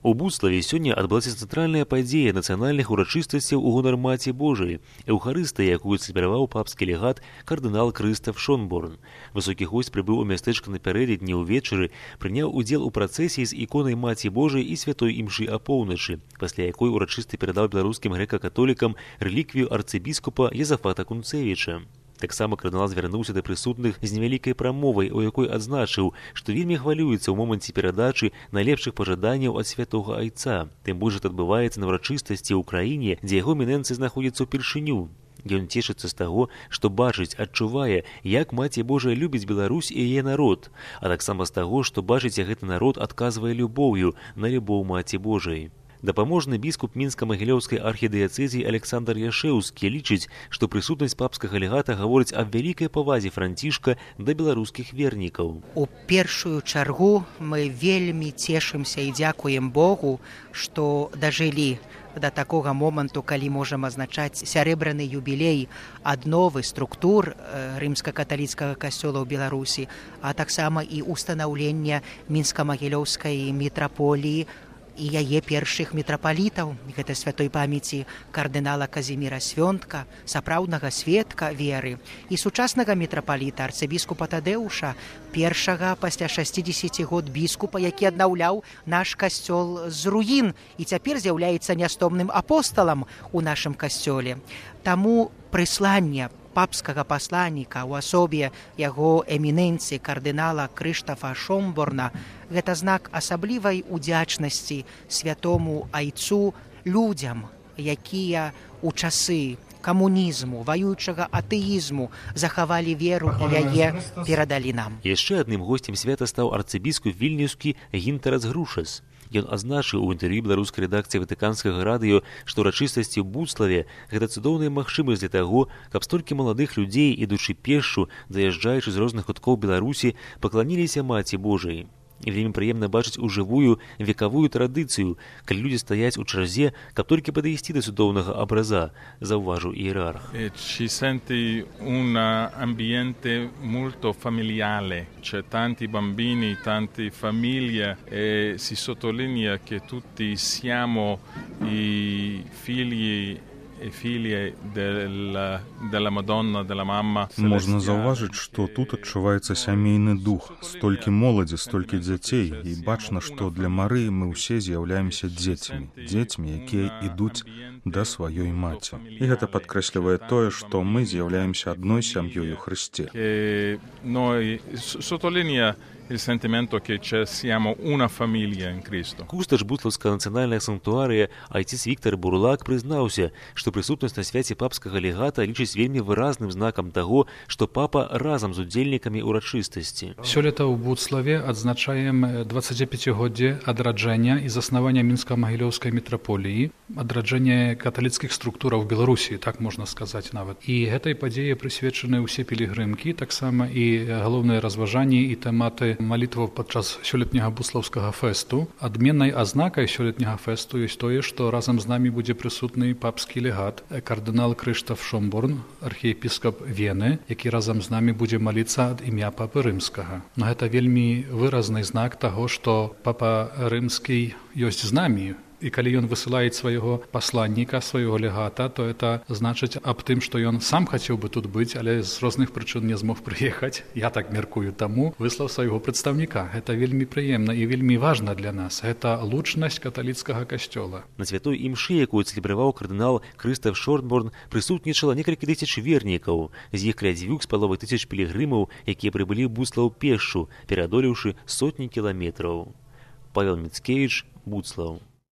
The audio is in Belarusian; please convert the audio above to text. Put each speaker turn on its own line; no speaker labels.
У Буцлаве сёння адбылася цэнтральная падзея нацыянальных урачыстасцяў у гонар Маці Божай, эўхарыстыя, якую цэлебраваў папскі легат кардынал Крыстаф Шонборн. Высокі госць прыбыў у мястэчка напярэдадні ўвечары, прыняў удзел у працэсіі з іконай Маці Божай і святой імшы апоўначы, пасля якой урачысты перадаў беларускім грэка-католікам рэліквію арцыбіскупа Язафата Кунцевіча. Таксама кардынал звярнуўся да прысутных з невялікай прамовай, у якой адзначыў, што вельмі хвалюецца ў моманце перадачы найлепшых пажаданняў ад святога айца. Тым больш гэта адбываецца на ўрачыстасці ў краіне, дзе яго эмінэнцыя знаходзіцца ўпершыню. Ён цешыцца з таго, што бачыць, адчувае, як Маці Божая любіць Беларусь і яе народ, а таксама з таго, што бачыць, як гэты народ адказвае любоўю на любоў Маці Божай. Дапаможны біскуп мінска-магілёўскай архідыяцэзіі Александр Яшэўскі лічыць, што прысутнасць папскага легата гаворыць аб вялікай павазе Францішка да беларускіх вернікаў.
У першую чаргу мы вельмі цешымся і дзякуем Богу, што дажылі да такога моманту, калі можам азначаць сярэбраны юбілей адновы структур рымска-каталіцкага касцёла ў Беларусі, а таксама і устанаўлення мінска-магілёўскай мітраполіі і яе першых мітрапалітаў, гэта святой памяці кардынала Казіміра Свёнтка, сапраўднага сведка веры, і сучаснага мітрапаліта арцыбіскупа Тадэуша, першага пасля 60 год біскупа, які аднаўляў наш касцёл з руін і цяпер з'яўляецца нястомным апосталам у нашым касцёле. Таму прысланне папскага пасланніка ў асобе яго эмінэнцыі кардынала Крыштафа Шонборна гэта знак асаблівай удзячнасці святому айцу людзям, якія ў часы камунізму, ваюючага атэізму захавалі веру і яе перадалі нам.
Яшчэ адным госцем свята стаў арцыбіскуп вільнюскі Гінтарас Грушас. Ён азначыў у інтэрв'ю беларускай рэдакцыі ватыканскага радыё, што ўрачыстасці ў Буцлаве гэта цудоўная магчымасць для таго, каб столькі маладых людзей, ідучы пешшу, заязджаючы з розных куткоў Беларусі, пакланіліся Маці Божай. І вельмі прыемна бачыць ужывую векавую традыцыю, калі людзі стаяць у чарзе, каб толькі падысці да цудоўнага абраза, заўважыў іерарх.
Ci senti un ambiente molto familiare, c'è tanti bambini, tante famiglie e si sottolinea che tutti siamo i figli и філі дella Madonna, della Mamma.
Можна заўважыць, што тут адчуваецца сямейны дух, столькі моладзі, столькі дзяцей, і бачна, што для Марыі мы ўсе з'яўляемся дзецьмі, якія ідуць да сваёй маці. І гэта падкрэслівае тое, што мы з'яўляемся адной сям'ёй у Хрысце.
Sottolinea il sentimento che siamo una famiglia in Cristo.
Кустач Буцлаўскага нацыянальнага санктуарыя айціс Віктар Бурлак прызнаўся, што прысутнасць на свяце папскага легата лічыць вельмі выразным знакам таго, што папа разам з удзельнікамі ўрачыстасці.
Сёлета ў Буцлаве адзначаем 25-годдзе адраджэння і заснавання мінска-магілёўскай мітраполіі, адраджэння каталіцкіх структураў Беларусі, так можна сказаць нават. І гэтай падзеі прысвечаны ўсе пілігрымкі, таксама і галоўныя разважанні і тэматы малітваў падчас сёлетняга буцлаўскага фэсту. Адменнай азнакай сёлетняга фэсту ёсць тое, што разам з намі будзе прысутны папскі легат, кардынал Крыштаф Шонборн, архіепіскап Вены, які разам з намі будзе маліцца ад імя папы рымскага. Но гэта вельмі выразны знак таго, што папа рымскі ёсць з намі. І калі ён высылае свайго пасланніка, свайго легата, то это значыць аб тым, што ён сам хацеў бы тут быць, але з розных прычын не змог прыехаць. Я так мяркую, таму выслаў свайго прадстаўніка. Гэта вельмі прыемна і вельмі важна для нас. Гэта лучнасць каталіцкага касцёла.
На святой імшы, якую цэлебраваў кардынал Крыстаф Шонборн, прысутнічала некалькі тысяч вернікаў. З іх каля 2,5 тысяч пілігрымаў, якія прыбылі ў Буцлаў пешшу, пераадолеўшы сотні кіламетраў. Павел Міцкевіч, Буцлаў.